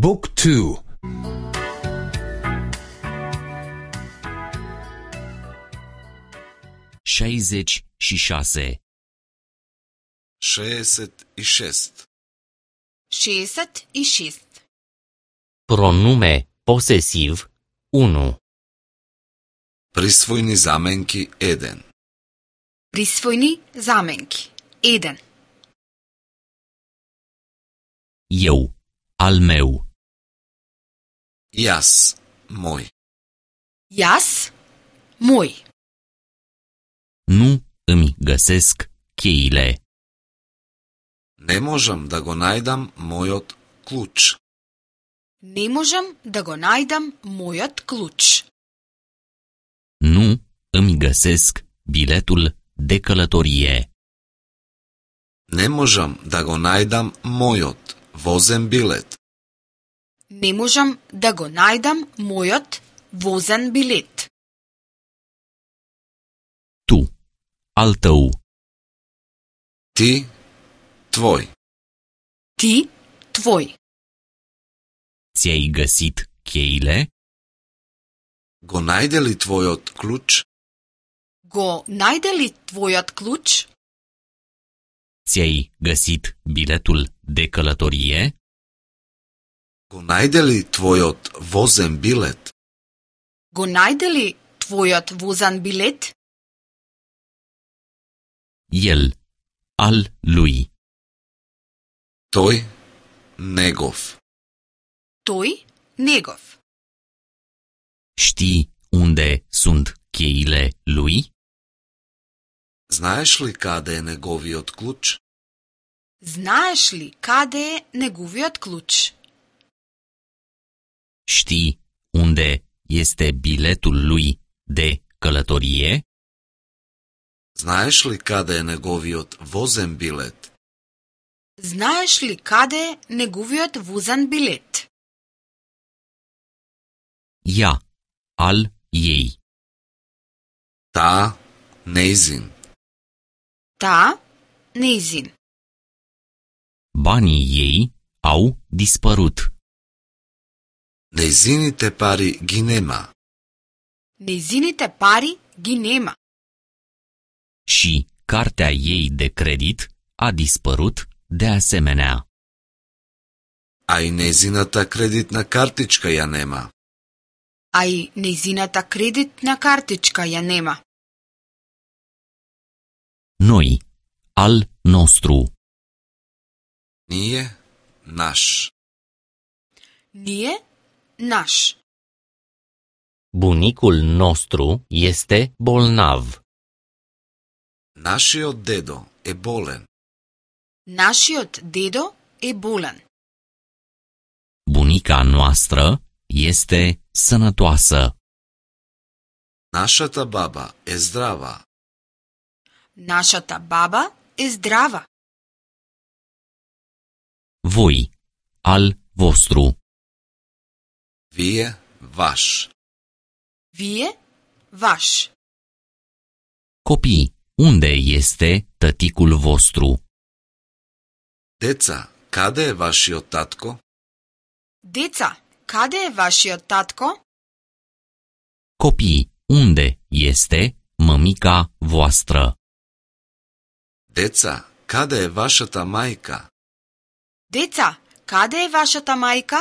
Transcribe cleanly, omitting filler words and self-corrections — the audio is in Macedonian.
Book 2. Șaizeci și șase. 66. 66. Pronume posesiv 1. Присвојни заменки 1. Присвојни заменки 1. Eu, al meu. Јас, мој. Јас, мој. Nu îmi găsesc cheile. Не можам да го најдам мојот клуч. Не можам да го најдам мојот клуч. Nu îmi găsesc biletul de călătorie. Не можам да го најдам мојот возен билет. Не можам да го најдам мојот возен билет. Tu, al tău. Ти, твој. Ти, твој. Ți-ai găsit cheile? Го најде ли твојот клуч? Го најде ли твојот клуч? Ți-ai găsit biletul de călătorie? Го најде ли твојот возен билет? Го најде ли твојот возен билет? El, al lui. Тој, негов. Тој, негов. Știi unde sunt cheile lui? Знаеш ли каде е неговиот клуч? Знаеш ли каде е неговиот клуч? Știi unde este biletul lui de călătorie? Знаеш ли каде е неговиот возен билет? Знаеш ли каде е неговиот возен билет? Ea, al ei. Таа, нејзин. Таа, нејзин. Banii ei au dispărut. Нејзините пари ги нема. Нејзините пари ги нема. Și cartea ei de credit a dispărut de asemenea. А и нејзината кредитна картичка ја нема. А и нејзината кредитна картичка ја нема. Noi, al nostru. Ние, наш. Ние, наш. Bunicul nostru este bolnav. Нашиот дедо е болен. Нашиот дедо е болен. Bunica noastră este sănătoasă. Нашата баба е здрава. Нашата баба е здрава. Voi, al vostru. Вие, ваш. Вие, ваш. Copii, unde este tăticul vostru? Деца, каде е вашиот татко? Деца, каде е вашиот татко? Copii, unde este mămica voastră? Деца, каде е вашата мајка? Деца, каде е вашата мајка?